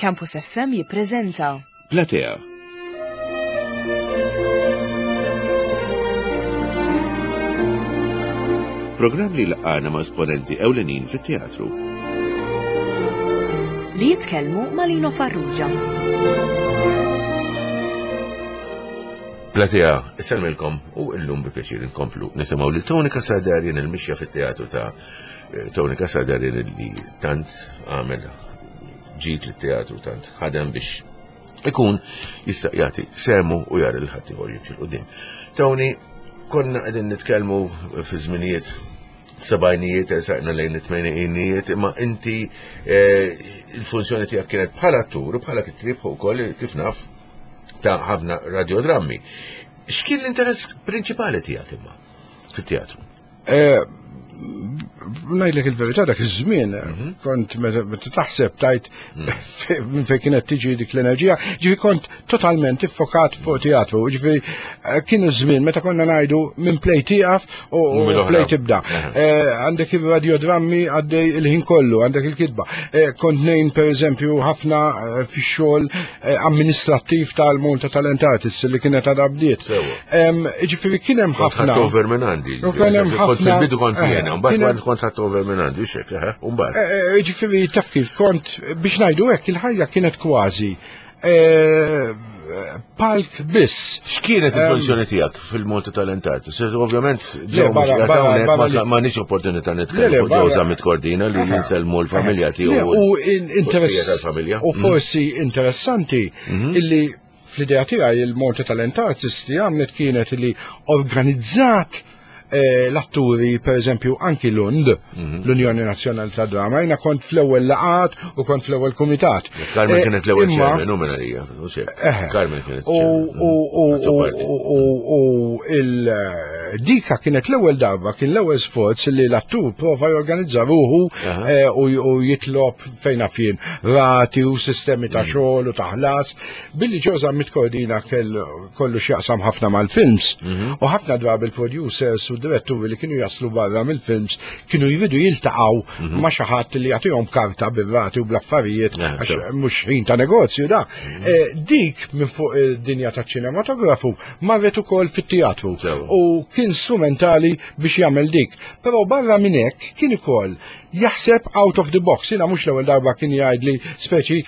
Campus FM jippreżenta. Platea. Programm li laqgħana ma' esponenti ewlenin fit-teatru. Li jitkellmu ma' Lino Farrugia. Platea, isellmilkom u illum bi pjaċir inkomplu nisimgħu lil Tony Casadarien il-mixja fit-teatru ta' eh, Tony Casadarien li tant għamel ġid lit-teatru tant ħadem biex ikun jista' jagħti semu u jara lil ħaddieħor jimxi 'l quddiem. Tony, konna qegħdin nitkellmu fi żminijiet sebgħinijiet, ersaqna lejn it-tmeninijiet, imma inti eh, il-funzjoni tiegħek kienet bħala attur u bħala kittrieb ukoll kif naf ta' ħafna radiodrammi. X'kien l-interess prinċipali tiegħek imma fit-teatru? Eh, ngħidlek il-verità dak iż-żmien mhm. kont meta taħseb tajt mhm. minn fejn kienet tiġi dik l-enerġija, ġifi kont totalment iffokat fuq teatru, ġifi eh, kien iż-żmien meta konna ngħidu minn play tieqaf u play tibda. Eh, għandek il-radiodrammi għaddej il-ħin kollu, għandek il-kitba. Kont nejn pereżempju ħafna fix-xogħol amministrattiv tal-Monta Talent Artists li kienet għadha bdiet. Ġifieri kien hemm ħafna. Kont over minn għandi. U kien hemm ħafna. Kont fil-bidu kont eh, jiena, mbagħad kont ħadd over minn għandi, xek, eh, u mbagħad. Eh, ġifieri taf kif kont biex ngħidu hekk il-ħajja kienet kważi palk biss. X'kienet il-funzjoni tiegħek fil-Malta Talent Artists? Ovvjament, ma nix opportunità nitkellmu fuq Ġew Zammit Cordina li jinselmu l-familja tiegħu. U interess. U mm. forsi interessanti mhm. illi fl-idea tiegħi il-Malta Talent Artists li għamlet kienet li organizzat eh, l-atturi, per eżempju, anki Lund, mhm. l-Unjoni Nazzjonali ta' Drama, jina kont fl-ewwel laqat u kont fl-ewwel kumitat. Carmen eh, kienet l-ewwel chairman, u minna hija, Carmen kienet U il-dika kienet l-ewwel darba, kien l-ewwel sforz li l-attur prova jorganizza ruħu eh, u jitlob fejn jien rati u sistemi ta' mhm. xogħol u ta' ħlas, billi ġoza mitkordina kell kollu x'jaqsam ħafna mal-films mhm. u ħafna drabi il-producers u diretturi li kienu jaslu barra mill-films kienu jridu jiltaqgħu mhm. ma' xi ħadd li jagħtihom karta bir-rati u bl-affarijiet għax mhux ħin ta' negozju da. Mhm. Eh, dik minn fuq id-dinja taċ-ċinematografu marret ukoll fit-teatru u kien strumentali biex jagħmel dik. Però barra minn hekk kien ukoll jaħseb out of the box. Jiena mhux l-ewwel darba kien jgħidli speċi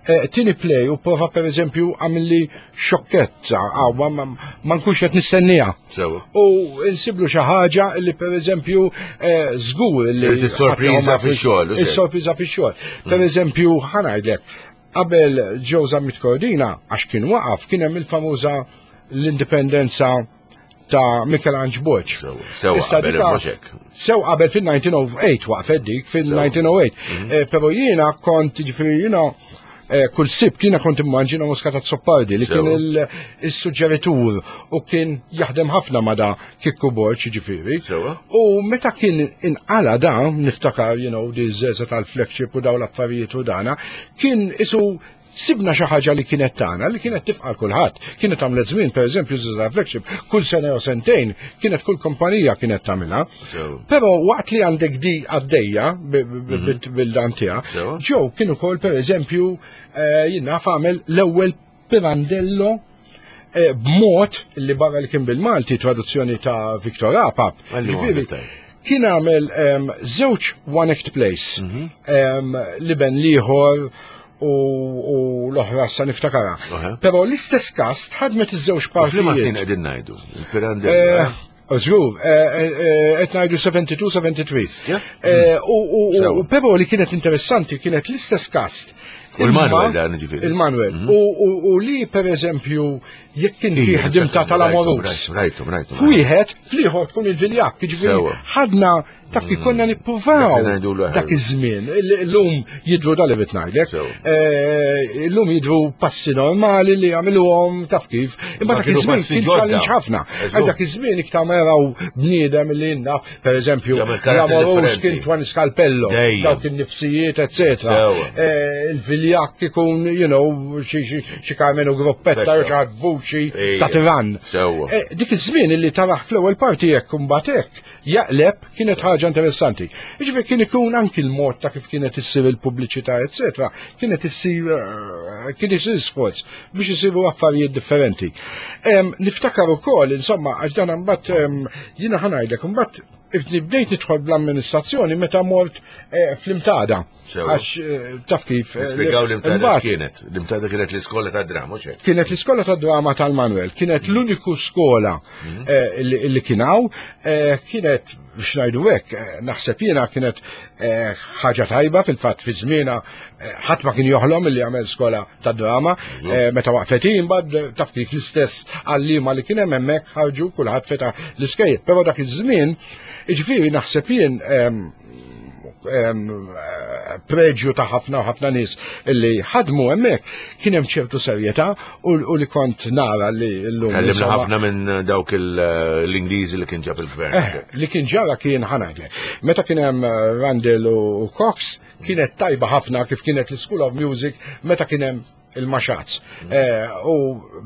Eh, tini play u prova per eżempju għamilli xokketta, għaw, ma nkunx qed nistennija. U insiblu xi ħaġa li per eżempju eh, żgur li. Is-sorpriża fix-xogħol. Is-sorpriża fix-xogħol. Per mm. eżempju, ħanajdlek, qabel Joe Zammit Cordina, għax kien waqaf, kien hemm il-famuża l-indipendenza ta' Michelangelo Borg. Sew qabel Sew qabel fil-1908 waqfet dik fil-1908. Mhm. Eh, però jiena kont ġifieri jiena eh, kull sib kiena kont immaġina Muscat Azzopardi li kien il-suġġeritur u kien jaħdem ħafna ma da Kikku Borg ġifieri. U meta kien inqala da, niftakar, you know, di żeża tal-flagship u daw l-affarijiet u dana, kien isu Sibna xi ħaġa li kienet tagħna, li kienet tifqar kulħadd. Kienet għamlet żmien, pereżempju, Żgħażagħ Flagship, kull sena jew sentejn, kienet kull kumpanija kienet tagħmilha. Però waqt li għandek di għaddejja mhm. bil-dan tiegħek, ġew kien ukoll pereżempju eh, jien naf għamel l-ewwel Pirandello eh, b'mod li barra li kien bil-Malti traduzzjoni ta' Victor Apap. Kien għamel żewġ one act plays mhm. li ben liħor u l-oħra sa niftakara. Però l-istess kast ħadmet iż-żewġ partijiet. Liema snin qegħdin ngħidu? Il-Pirandello. Eh, Żgur, eh, qed ngħidu 72, 73. U però li kienet interessanti kienet l-istess kast. U l-Manuel dan ġifieri. Il-Manuel. Mhm. U li per eżempju jekk inti ħdimta tal-amorus. Rajtu, rajtu. F'wieħed, fl-ieħor tkun il-viljak, ġifieri ħadna Taf kif konna nippruvaw dak iż-żmien. Illum jidru dal li ngħidlek. Eh, illum jidru passi normali li jagħmluhom taf kif. Imma dak iż-żmien kien challenge ħafna. Għal dak iż-żmien iktar ma jaraw bniedem li jinna, pereżempju, Ramorus kien Twan Scalpello, dawk in-nifsijiet, eċetera. Eh, il-vilja. il-viljakk ikun, you know, xi Carmenu Gruppetta jew xi ħadd vuċi ta' tirann. Eh, dik iż-żmien li taraħ fl-ewwel parti hekk imbagħad hekk jaqleb kienet ħaġa interessanti. Jiġifieri kien ikun anki l-mod ta' kif kienet issir il-pubbliċità, eċetera, kienet issir eh, kien isir sforz biex isiru affarijiet differenti. Niftakar ukoll, insomma, għax dan imbagħad jiena ħanajdlek imbagħad bdejt nidħol bl-amministrazzjoni meta mort eh, fl-imtada. Għax eh, taf kif. Eh, Spjegaw l-imtada kienet. L-imtada kienet l-iskola ta' drama, xek? Kienet l-iskola ta' drama tal-Manuel. Kienet mm. l-uniku skola mm. eh, li kienaw. Kienet, biex ngħidu hekk, naħseb jiena kienet ħaġa tajba fil-fatt fi żmiena ħadd ma kien joħlom li jagħmel skola ta' drama. Meta waqfet imbagħad taf kif l-istess għalliema li kien hemm hemmhekk ħarġu kulħadd feta l-iskejjel. Però dak iż-żmien, jiġifieri naħseb jien preġju ta' ħafna u ħafna nies li ħadmu hemmhekk kien hemm ċertu serjetà u li kont nara li llum. Kellimna ħafna minn dawk l-Ingliżi li kien ġab il-gvern. Eh, li kien ġara kien ħanagle. Meta kien hemm eh, Randall u Cox kienet tajba ħafna kif kienet l-School of Music meta kien hemm il-maxaz. Eh, u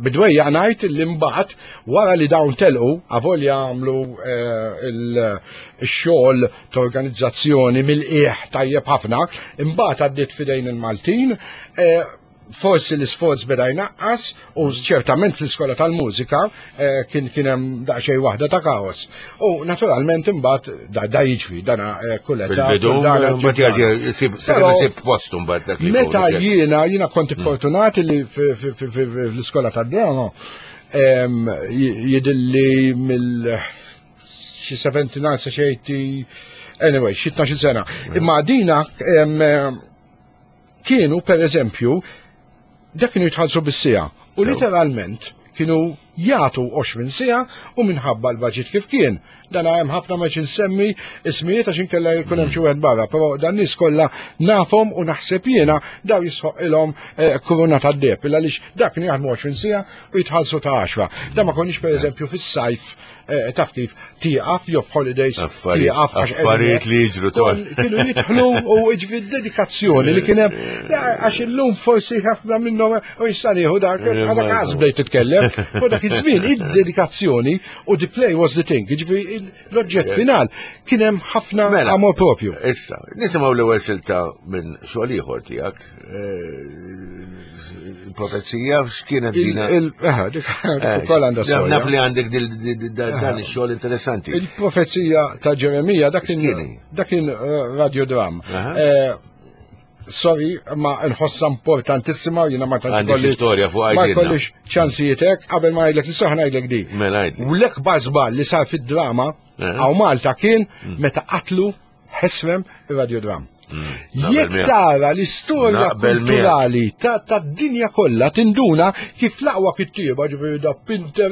bidwejja ngħid li mbagħad wara li dawn telqu avolja għamlu eh, il-xogħol ta' organizzazzjoni mill-qiegħ tajjeb ħafna, imbagħad għaddiet fidejn il-Maltin, eh, forsi l-isforz beda jnaqqas u ċertament fl-iskola tal-mużika eh, kien kien hemm daqsxejn waħda ta' kaos. U naturalment imbagħad da, da jiġri dana eh, kull età. Fil-bidu, mbagħad jaġi sib postu mbagħad dak li. Meta jiena jiena kont mm. fortunat li fl-iskola tad-drama jidilli mill xi 79 sa xi 80 anyway, xi 12 sena. Mm. Imma dina kienu per eżempju dak kienu jitħallsu bis-siegħa u literalment kienu jagħtu 20 siegħa u minħabba l-budget kif kien. Dan hemm ħafna ma nsemmi ismijiet għax inkella jkun hemm xi wieħed barra, però dan nies kollha nafhom u naħseb jiena daw jisħoq ilhom eh, kuruna tad-deb għaliex dak kien jaħdmu 20 siegħa u jitħallsu ta' 10. Dan ma konniex pereżempju fis-sajf Eh, taf kif tieqaf jew f'holidays tieqaf affarijiet li jiġru tol. Kienu jidħlu u jiġri dedikazzjoni li kien hemm eh, għax illum forsi ħafna minnhom u issa nieħu dak għadha każ bdejt titkellem u dak iż-żmien id-dedikazzjoni u the play was the thing, jiġri l-oġġett final kien hemm ħafna mela, amor propju. Issa, nisimgħu l-ewwel silta minn xogħol ieħor tiegħek eh, il-profezija x'kienet dina. Eh, naf li għandek dan ix-xogħol interessanti. Il-profezija ta' Ġeremija dak kien eh, radiodram. Eh, sorry, ma nħossa importantissima, jina ma tantx kolli. storja fuq Ma kollix ċansijiet hekk, qabel ma ngħidlek l-istoħ ngħidlek di. Mela U l-ekbar żball li sar fid-drama hawn Malta kien mm. meta qatlu ħesrem ir-radiodram. Mm, Jekk tara l-istorja kulturali ta' dinja kollha tinduna kif l-aqwa kittieba ġifieri da Pinter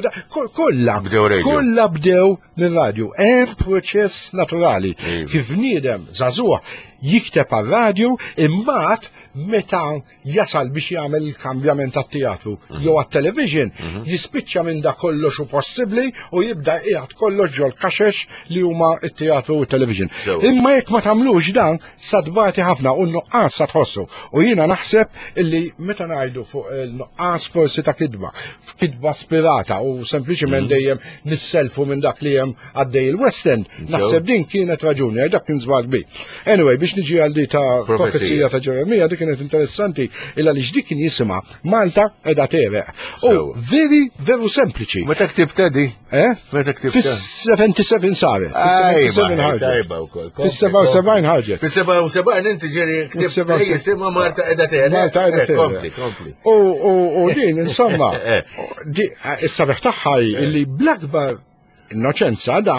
kollha kollha bdew mir-radju. Hemm proċess naturali kif bniedem żagħżugħ jikteb għar-radju imbagħad meta jasal biex jagħmel il-kambjament għat-teatru mhm. jew għat-television, mhm. jispiċċa minn da kollox u possibbli u jibda qiegħed kollox ġol kaxex li huma t-teatru u t-television. Imma jekk ma tagħmlux dan, sa tbati ħafna u n-nuqqas sa tħossu. U jiena naħseb illi meta ngħidu fuq il-nuqqas forsi ta' kidba, f'kidba spirata u sempliċement mhm. dejjem nisselfu minn dak li hemm għaddej il-West End, naħseb din kienet raġuni, dak kien żball kbir. Anyway, biex niġi għal di ta' profezija ta' Ġeremija, dik kienet interessanti illa li dik kien jisimha Malta edha tereq. U veri, veru sempliċi. Meta ktibta di? Eh? Meta ktibta? Fis-77 saret. Fis-77 ħarġet. Fis-77 ħarġet. Fis-77 inti ġeri ktibt jisimha Malta edha tereq. Malta edha eh, tereq. Kompli, kompli. U din, insomma, eh. is-sabiħ tagħha illi bl-akbar innoċenza da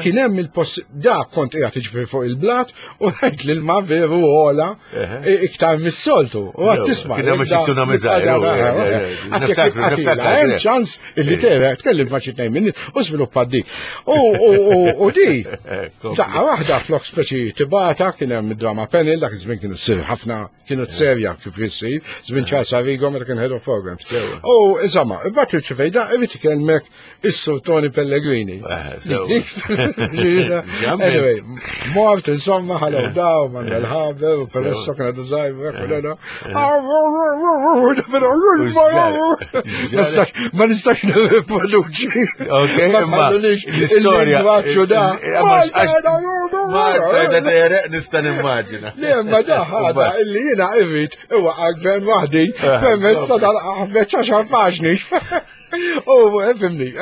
kien hemm il-poss da kont qiegħed jiġifieri fuq il-blat u rajt li l-ma veru ola iktar mis-soltu. U għad tisma'. Kien hemm xi tsunami żgħir. Hemm ċans illi tera tkellim ma' xi tnejn minni u żviluppat di. U di daqqa waħda flok speċi tibata kien hemm id-drama panel dak iż-żmien kienu ssir ħafna kienu serja kif jissir, żmien Charles Arrigo meta kien head of programs. U insomma, imbagħad irċivejda irid ikellmek is-Sur Tony Pellegrini. qalli. Anyway, mort insomma ħalew daw Manuel Haber u Peresso kien għadu żgħir Ma nistax nirriproduċi. Ok, ma l-istorja. da. Ma nista' nimmaġina. Le, ma da ħada illi jiena irrid iwaqqa' gvern waħdi permezz ta' dal-qaħbeċ għaxar paġni. U, fimni,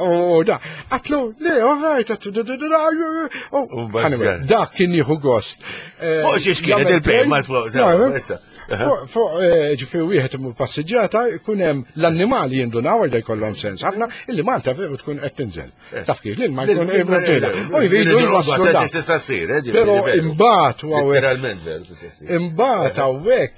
u da, għatlu, le, all right, għatlu, da, da, da, da, dak kien jieħu gost. Eh, fuq xiex kienet il-play, ma issa. Fuq, eh, ġifieri wieħed imur passiġġata, jkun hemm l-annimali jindunaw għal jkollhom sens ħafna, illi Malta veru tkun qed tinżel. Eh. Taf kif, l-ilma jkun imtela. U jridu jwasslu da. Tista' ssir, eh, Però imbagħad u hawnhekk. Imbagħad hawnhekk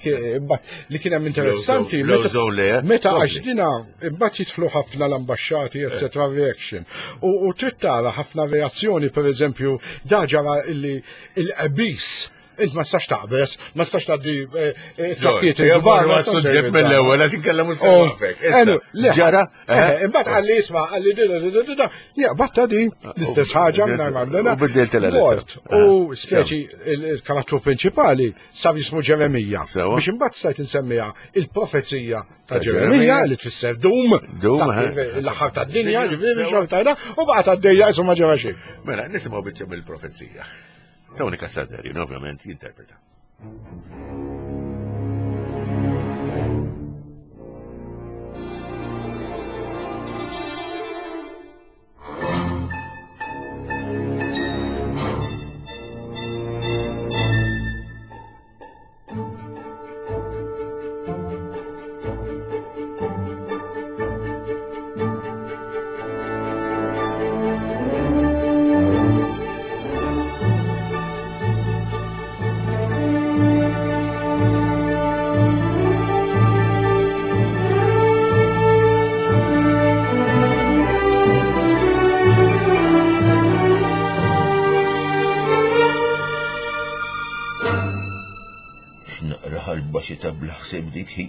li kien hemm interessanti meta għax dina imbagħad jidħlu ħafna l-ambaxxati etc. reaction. U trid tara ħafna reazzjoni pereżempju da ġara illi il-qbis Int ma tistax taqbeż, ma tistax tgħaddi eh, eh, trakkiet il-kbar. Ma suġġett mill-ewwel għax inkella mhux se nafek. Ġara? Eh, imbagħad qalli isma' qalli di di di di Ja, batta di l-istess ħaġa minn għandna. U biddilt l U speċi il-karattru prinċipali sar jismu Ġeremija. Biex imbagħad stajt insemmiha il-profezija ta' Ġeremija li tfisser dum, l-aħħar tad-dinja, ġifieri xorta u baqgħet għaddejja isma' ġara xejn. Mela, nisimgħu biċċa mill-profezija. Tony Cassardarian ovvjament jinterpreta. X'naqra ħalba xita bla ħsieb dik hi.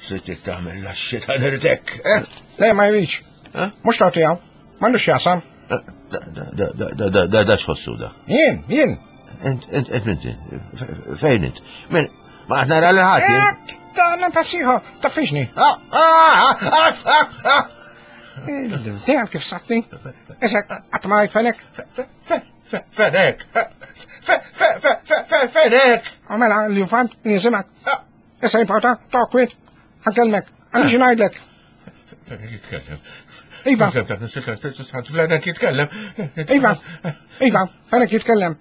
Sittik tagħmel la xita nirtek, eh? Le ma jridx. Eh? Mhux ta' tiegħu. M'għandux jasam. Eh, da da da da da da da x'ħossu da. Jien, jien. Ent ent ent int fejn int? Min ma qed nara lil ħadd jien. Eh, ta' nagħmel ta' fiġni. Ah, ah, ah, ah, ah. Dejjem kif satni. Issa qatt ma fenek. Fenek! Fenek! Mela, l-infant, nisimak. Issa jimporta, tokwit, ħankelmek, għandi xi ngħidlek. Fenek jitkellem. Iva. Fenek jitkellem. Iva, Iva, fenek jitkellem.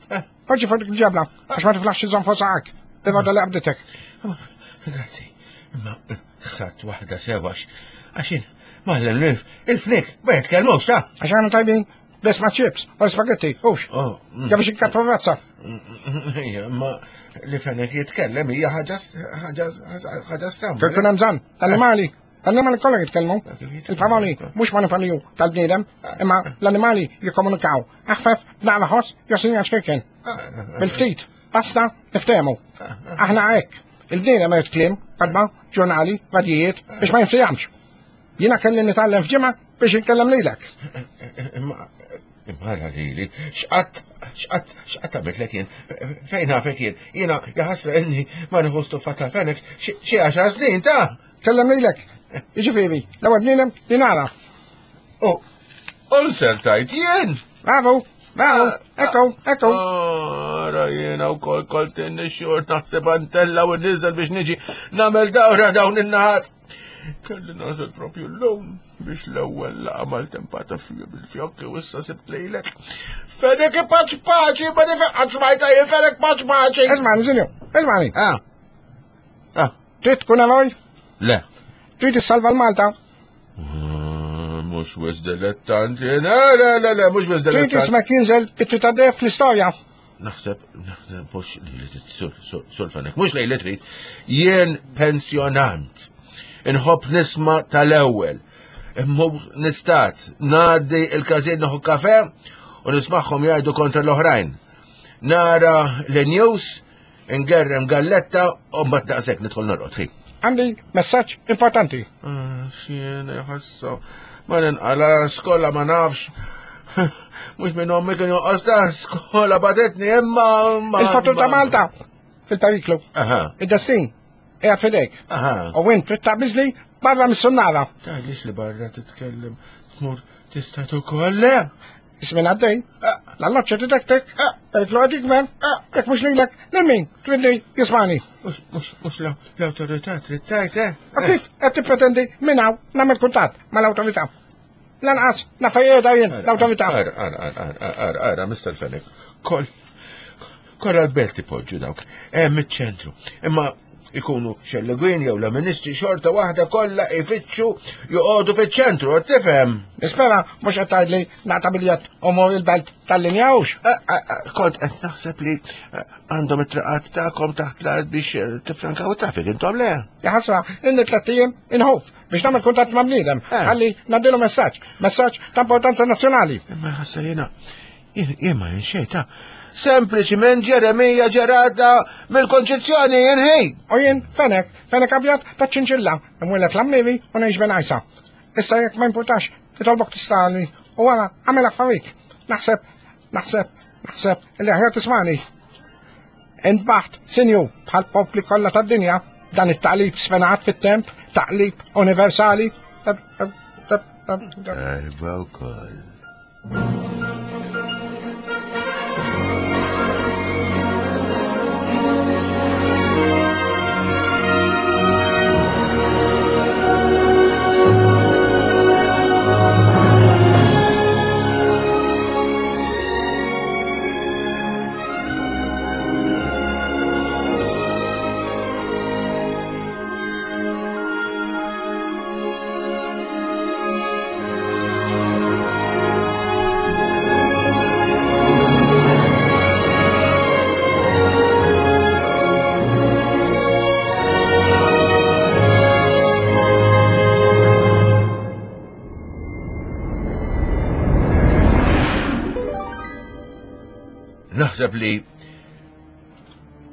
Poġġi fuq dik il-ġebla, għax ma tiflaħx iżomm fuq saqak. Tirroda li qabditek. Grazzi. Imma satt waħda sewax. Għaxin, maħlem il-fnik, ma jitkellmux ta' Għax għana tajbin, Biss ma' chips, u spaghetti, hux. Oh, Ja biex inkattu razza. Ma li fenek jitkellem hija ħaġa ħaġa ħaġa stramba. Kif hemm bżonn, l-annimali, l-annimali kollha jitkellmu. Il-paroli mhux manipaliju tal-bniedem, imma l-annimali jikkomunikaw. Aħfef, naqra ħoss, jew sinjal ċkejken. Bil-ftit, basta, niftehmu. Aħna hekk. Il-bniedem irid kliem, kotba, ġurnali, radijiet, biex ma jinftehemx. Jiena kelli nitgħallem f'ġimgħa biex inkellem lilek. Imma imma lili, x'qatt x'qatt x'qatt għamiltlek jien, fejn nafek jien, jiena jaħasra inni ma nieħu stuffa tal-fenek xi għaxar snin ta' Kellem lilek. Jiġifieri, l-ewwel bniedem li nara. U unser tajt jien. Bravo, bravo, ekku, ekku. Ara jiena wkoll kont inni xort naħseb antella u niżel biex niġi nagħmel dawra dawn in-naħat. Kelli nasal propju l-lum biex l-ewwel laqa mal-tempata bil-fjokki u issa sibt lejlek. Fenek paċ paċi, ma nifeqqat smajta jien fenek paċ paċi. Ismani, sinju, ismani. Ah. Ah. Trid tkun eroj? Le. Trid issalva l-Malta? Ah, mhux wis dilettanti. Le, le, le, le, mhux wis dilettanti. Trid ismek jinżel bitri ta' def fl-istorja? Naħseb, naħseb, mhux li li sur fenek, mhux li li trid. Jien pensjonant. Inħobb nisma tal-ewwel. Immur nistat, ngħaddi il-każin nieħu kafe u nismagħhom jgħidu kontra l-oħrajn. Nara l-news, ingerrem galletta u mbagħad daqshekk nidħol norqod ħin. Għandi messaġġ importanti. Ah, Xien ħassa ma ninqala skola ma nafx. Mhux minn ommi kien joqgħod ta' skola badetni imma. Il-futur ta' Malta fil-periklu. Id-destin qiegħed f'idejk. U int trid taqbiżli barra mis-sunnara. Tgħidlix li barra titkellem tmur tista' ukoll le? Ismin għaddej. L-alloċċa tidektek. Periklu qed jikber. Jekk mhux lilek, lil min? Tridni jismani. Mhux l-awtorità trid tgħid, eh? U kif qed tippretendi minn hawn nagħmel kuntatt mal-awtorità? Lanqas naf fejn qiegħda jien l-awtorità. Ara, ara, ara, ara, ara, Mr. Fenech, kol, kollha l-belt ipoġġu dawk, hemm iċ-ċentru. Imma ikunu xellegwin jew l-ministri xorta waħda kollha ifittxu joqogħdu fiċ-ċentru, qed tifhem? Nispera mhux qed tgħidli naqta' biljett u mur il-belt tal-linja hux. Kont qed naħseb li għandhom it-triqat tagħkom taħt l-art biex eh, tifrankaw it-traffic, intom le? Jaħasra, inni tlett ijiem inħoff biex nagħmel kuntatt ma' bniedem, eh. ħalli ngħaddilu messaġġ, messaġġ ta' importanza nazzjonali. Imma ħassa jiena jien ma ta' Sempliċiment Ġeremija ġerata mill-konċezzjoni jinħi. U jien fenek, fenek abjad ta' ċinċilla, imwellet l-ammivi u ngħix ben għajsa. Issa jekk ma importax, titolbok tistani u wara għamel affarik. Naħseb, naħseb, naħseb li aħjar tismani. Intbaħt, sinju, bħal popli kollha tad-dinja, dan it-taqlib sfenat fit-temp, taqlib universali. Iva wkoll. Naħseb li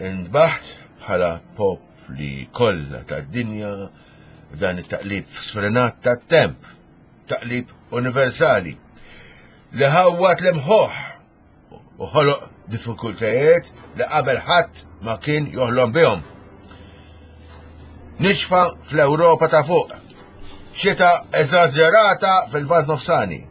ndbaħt bħala popli kollha tad-dinja dan it-taqlib sfrenat tat-temp, taqlib universali li ħawwat l-imħuħ u ħoloq diffikultajiet li qabel ħadd ma kien joħlom bihom. Nixfa fl-Ewropa ta' fuq, xita eżaġerata fil-Lvant Nofsani,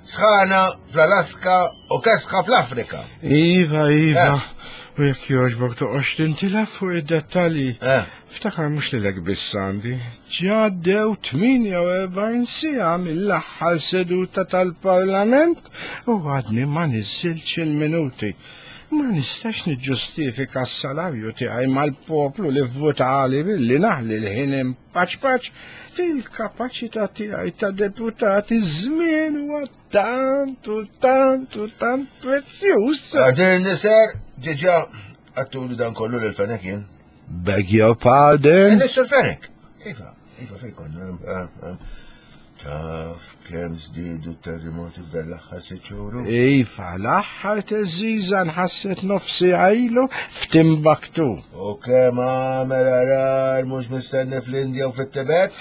sħana fl-Alaska u kesħa fl-Afrika. Iva, iva. Eh. U jekk jogħġbok toqgħodx tintilef fuq id-dettalji. Eh. Ftakar mhux lilek biss għandi. Ġaddew 48 siegħa mill-aħħar seduta tal-Parlament u għadni ma niżżiltx il-minuti. Ma nistax niġġustifika s-salarju tiegħi mal-poplu li vvutali billi naħli l-ħin Paċ paċ, fil-kapaċità tiegħi ta' deputat iż-żmien huwa tant u tant u tant prezzjuż. Għadir niser, ġiġa, għattulu dan kollu l-fenek jien. Beg your pardon? Nisur fenek. Iva, iva fejkon. Eh, eh, Taf kemm żdiedu t-terremoti f'dan l-aħħar sitt xhur? Iva, l-aħħar teżiża nħasset nofsi għajlu f'Timbaktu. U kemm għamel arar mhux mistenni fl-Indja u fit-Tibet?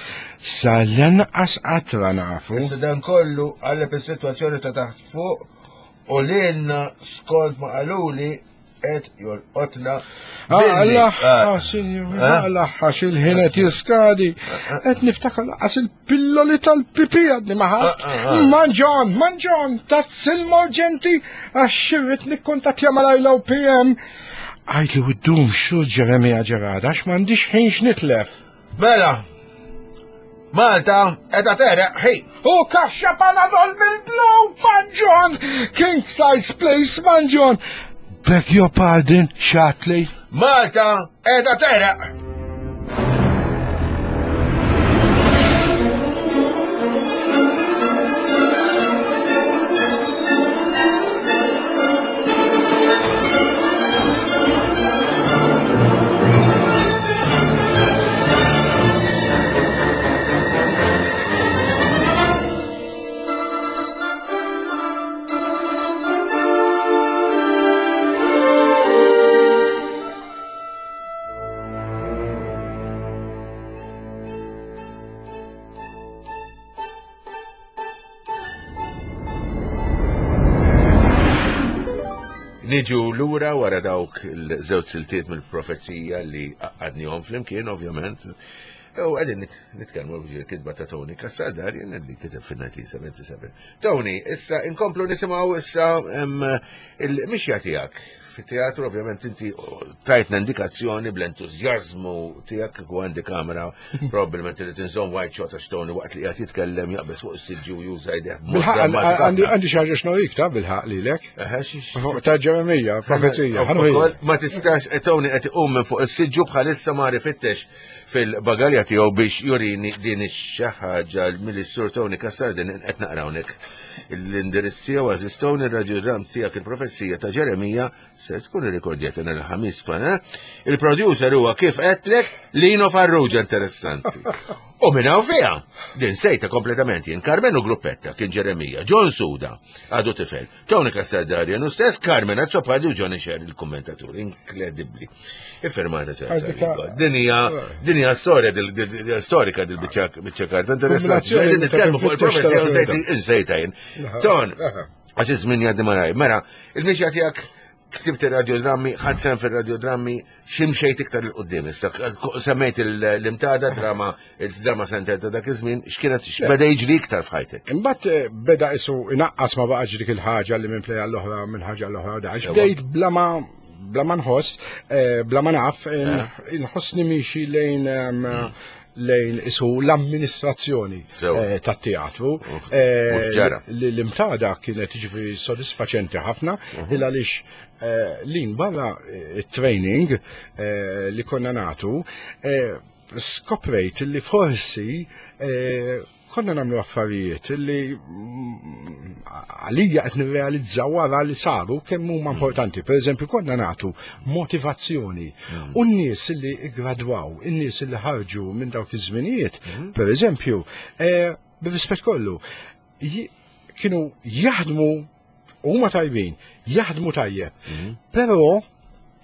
Sa l-anqas qatra nafu. Issa dan kollu qaleb is-sitwazzjoni ta' taħt fuq u lilna skont ma qaluli qed jolqotna. Alla, ah, sinjur, eh? alla, għax il-ħin qed jiskadi. Qed niftakar laqas il-pilloli tal-pipi għadni ma ħadd. Ah, ah, Manġon, manġon, tazz il-morġenti għax xirrit nikkuntattja mal-ILOPM. Għajtli u d-dum xu Ġeremija Ġerada, għax m'għandix ħin x'nitlef. Mela, Malta edha tereq ħi. U kaxxa panadol bil-blow, manġon! King size place, manġon! Beg your pardon, xatli. Malta edha tereq. Niġu lura wara dawk il-żewġ siltiet mill-profezija li għadnihom flimkien, ovvjament. U għedin nitkellmu il-kitba ta' Tony Cassar jien li kiteb fil-1977. Tony, issa inkomplu nisimgħu issa il-mixja tiegħek fit-teatru ovvjament inti tajtna indikazzjoni bl-entużjażmu tiegħek kieku għandi kamera probabbilment li tinżomm white shot għax Tony waqt li qed jitkellem jaqbeż fuq is-siġġu u juża jdejh. Għandi xi ħaġa x'norik ta' bilħaq lilek. Ta' Ġeremija, profezija. Ma tistax eh, Tony qed iqum minn fuq is-siġġu bħalissa ma rifittex fil-bagalja tiegħu biex jurini din ix-xi ħaġa mill-sur Tony Cassar din qed naqrawnek. L-indirizz tiegħu għażiż Tony ir-radiogram tiegħek il-profezija ta' Ġeremija se tkun irrikordjata nhar il-ħamis pana. Il-producer huwa kif qedlek Lino Farrugia interessanti. U minn hawn fiha, din sejta kompletament jien Carmenu Gruppetta kien Ġeremija, John Suda għadu tifel, Tony Castelldarian u stess Carmen Azzopardi u Johnny Sher il-kommentatur, inkredibbli. Iffirmata ċerta. Din hija din hija storja storika dil biċċa karta interessanti. Qegħdin nitkellmu fuq il-profezija u sejti insejta jien. Ton, għax iż-żmien jgħaddi malaj. Mela, il-mixja tiegħek ktibt ir-radiodrammi, ħadd sehem fir-radiodrammi, x'imxejt iktar il qudiem issa. Semmejt l-imtada drama, il-drama center ta' dak iż-żmien, x'kienet x'beda jiġri iktar f'ħajtek? Imbagħad eh, beda isu inaqqas ma baqax dik il-ħaġa li minn plejja l-oħra minn ħaġa l-oħra da. Bdejt bla ma bla ma nħoss, eh, bla ma naf, eh. inħossni miexi lejn ehm, lejn isu l-amministrazzjoni eh, tat-teatru. Eh, l-imtada kienet ġifieri sodisfaċenti ħafna, mhm. il għaliex eh, lin barra training li konna natu, skoprejt li forsi konna nagħmlu affarijiet li mm, għalija qed nirrealizza wara li saru kemm huma mm. importanti. Per eżempju, konna nagħtu motivazzjoni. Mm. U n-nies li gradwaw, in-nies li ħarġu minn dawk iż-żminijiet, mm-hmm. per eżempju, eh, bir-rispett kollu, kienu jaħdmu huma tajbin, jaħdmu tajjeb, mm-hmm. però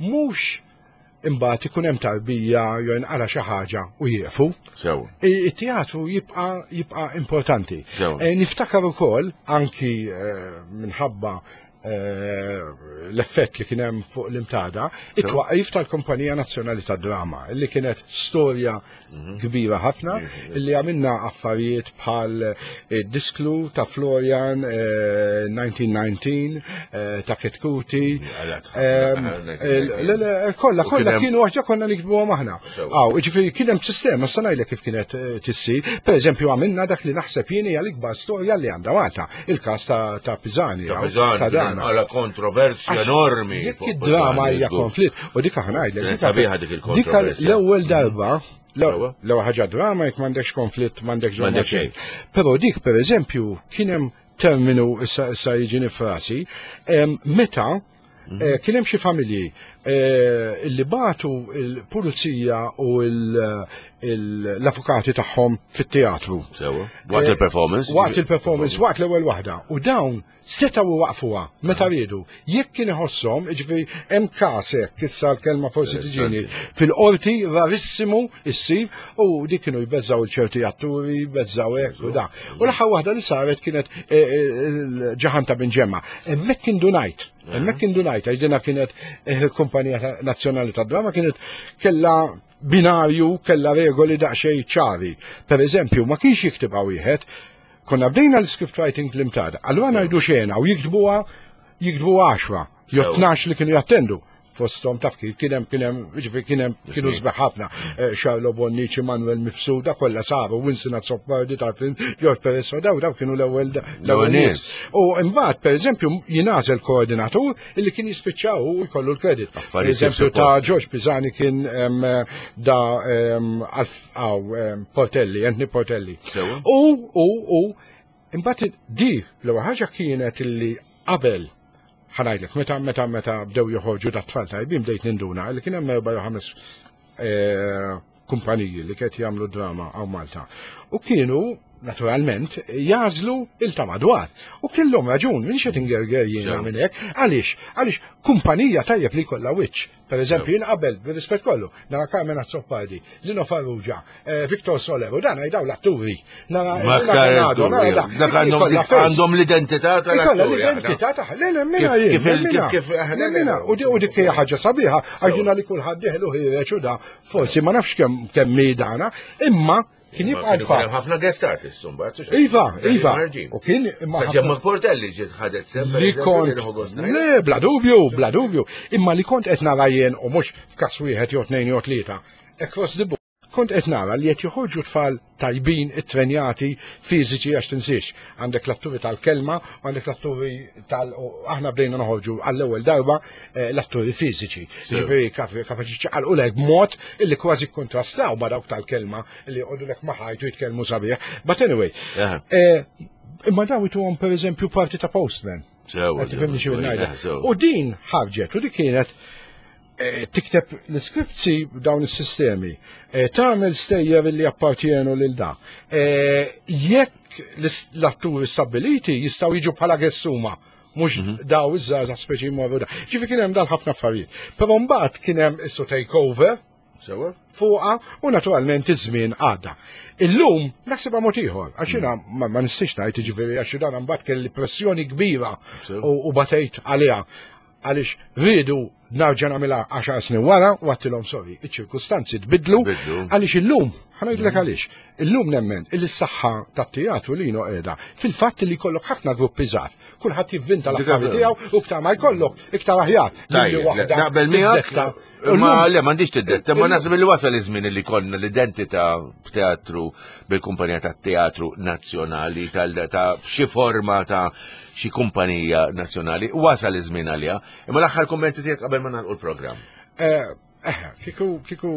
mhux imbagħad ikun hemm tarbija jew inqala xi ħaġa u jieqfu. Sew. It-teatru jibqa' jibqa' importanti. E, niftakar ukoll anki e, minħabba e, l-effett li kien hemm fuq l-imtada, it-twaqif tal-Kumpanija Nazzjonali tad-Drama, li kienet storja mhm. kbira ħafna illi għamilna affarijiet bħal eh, disklu ta' Florian 1919 eh, eh, ta' Ketkuti. Ehm, kolla, kolla kienu għaxa konna nikbu aħna. Għaw, ġifiri kien hemm sistema, sanajle kif kienet tissi. Per eżempju, għamilna dak li naħseb jien hija l-ikbar storja li għandha Malta, il-każ ta' Pisani. Ta' Pisani, ta' dana. Għala kontroversja enormi. Jekk id-drama hija konflitt, u dik aħna ngħidlek. Sabiħa dik il-kontroversja. Dik l-ewwel darba L-ewwel ħaġa drama jekk m'għandekx konflitt m'għandekx m'għandek xejn. Però dik pereżempju kien hemm terminu issa issa jiġini frasi, meta mhm. eh, kien hemm xi familji eh, li batu il-pulizija u l-avukati tagħhom fit-teatru. Sewa. Waqt eh, il-performance. Waqt il-performance, waqt l-ewwel waħda. U dawn Setgħu iwaqqfuha meta riedu. Jekk kien iħosshom, jiġifieri hemm każ hekk, issa l-kelma forsi tiġini, fil-qorti rarissimu issir u dik kienu jbeżżgħu l ċerti atturi, jbeżżgħu hekk u da. U l-aħħar waħda li saret kienet eh, eh, ġaħan ta' Binġemma. Hemmhekk indunajt, hemmhekk indunajt, għax dina kienet eh, il-Kumpanija Nazzjonali tad-Drama kienet kellha binarju kellha regoli daqsxejn ċari. Per eżempju, ma kienx jiktibha wieħed, Konna bdejna l-script writing l-imtada. Allura ngħidu xena u jiktbuha jiktbu 10 jew 12 li kienu jattendu fostom taf kif kien hemm kien hemm ġifieri kien hemm kienu sbeħ ħafna. Eh, Charlo Bonnici, Manuel Mifsuda, kollha saru, Winston Azzopardi ta' film, George Perez, daw daw kienu l-ewwel l-ewwel nies. U imbagħad pereżempju jingħażel koordinatur illi kien jispiċċaw u jkollu l-kredit. Eżempju ta' George Pisani kien da Għaw, Portelli, Anthony Portelli. U, u, u, imbagħad di l-ewwel ħaġa kienet illi qabel ħanajdlek, meta meta meta bdew joħorġu da tfal tajbin bdejt ninduna li kien hemm erba' jew ħames eh, kumpaniji li kiet jagħmlu drama għaw Malta. U kienu naturalment, jagħżlu il ta' madwar. U kellhom raġun, minn xed ingerger jiena minn hekk, għaliex, għaliex kumpanija tajjeb li jkollha wiċċ. Per eżempju, jien qabel, bir-rispett kollu, nara Carmen Azzopardi, Lino Farrugia, eh, Victor Soler, u dan għajdaw l-atturi. Nara Bernardo, nara da. Dak għandhom l-identità tal-atturi. L-identità ta' le, le, minna jien. Kif, kif, kif, U dik hija ħaġa sabiħa, għax jiena li kulħadd diħlu ħireġ u da, forsi ma nafx kemm dana, imma Kien jibqa' l-fatt. Ħafna guest artists imbagħad. Iva, iva. U kien imma. Ġemma Portelli ġiet ħadet sem. Li kont. Le, bla dubju, bla dubju. Imma li kont qed nara jien u mhux f'każ wieħed jew tnejn jew tlieta. Across the board. Kont qed nara li qed joħorġu tfal tajbin, ittrenjati, fiżiċi għax tinsiex. Għandek l-atturi tal-kelma u għandek l-atturi tal aħna bdejna noħorġu għall-ewwel darba eh, l-atturi fiżiċi. Ġifieri kapaċi ċaqalqu lek b'mod illi kważi kontrastaw ma' dawk tal-kelma li joqogħdu lek ma' ħajtu jitkellmu sabiħ. But anyway, eh, imma daw ituhom pereżempju parti ta' postman. Tifhimni xi U din ħarġet u dik kienet eh, tikteb l-iskripti b'dawn is-sistemi, tagħmel stejjer li appartjenu lil da. Jekk l-atturi stabiliti jistgħu jiġu bħala gessuma mhux mhm. daw iż-żgħażagħ speċi jmorru da. Ġifi kien hemm dal ħafna affarijiet. Però mbagħad kien hemm issu takeover Sewa. Fuqa u naturalment iż-żmien għadda. Illum naħsibha mod ieħor, għax jiena mm. ma nistax ngħid jiġifieri għax dan mbagħad kelli pressjoni kbira u batejt għaliha għaliex rridu narġa' nagħmilha 10 snin wara u għattilhom sorry, iċ-ċirkustanzi tbidlu għaliex illum, ħanajdlek mm. għaliex, illum nemmen il saħħa tat-teatru li qiegħda fil-fatt li jkollok ħafna gruppi żgħar Kulħadd jivvinta l-affarijiet tiegħu u iktar ma jkollok, iktar aħjar. Naqbel miegħek. Ma le m'għandix tiddetta, ma naħseb li wasal iż-żmien li konna l-identità b'teatru bil-kumpanija tat-teatru nazzjonali tal ta' xi forma ta' xi kumpanija nazzjonali, wasal iż-żmien għaliha. Imma l-aħħar kummenti tiegħek qabel ma nagħlqu l-programm. Eh, Eh, kiku, kiku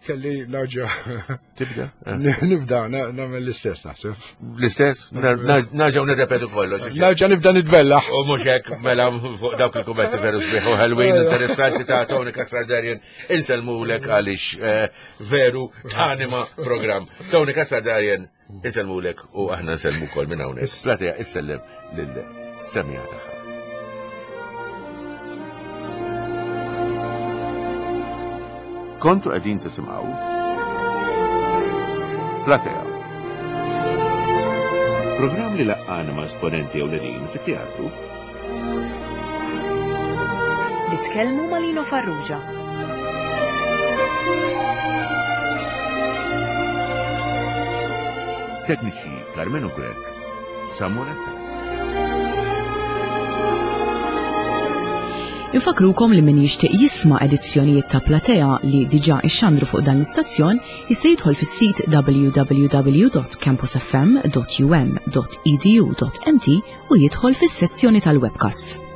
kelli narġa. Tibda? Eh. Nibda, namel l-istess naħseb. L-istess? Narġa nirrepetu kollox. Narġa nibda nitbella. U mux hekk, mela fuq dawk il-kummenti veru sbieħ u ħelwin interessanti ta' Tony Kassardarien insellmulek għaliex eh, veru tanima program. Tony Kassardarien Insellmulek u aħna nsellmu wkoll minn hawnhekk. Platea issellem lil semija tagħha. Kontu qegħdin tisimgħu Platea. Programm li laqqana ma' esponenti ewlenin fit-teatru Nitkellmu ma' Lino Farrugia. Tekniċi Carmenu Grech, Samuel Attard. Infakrukom li min jixtieq jisma' edizzjonijiet ta' Platea li diġà ixxandru fuq dan l-istazzjon jista' jidħol fis-sit www.campusfm.um.edu.mt u jidħol fis-sezzjoni tal-webcasts.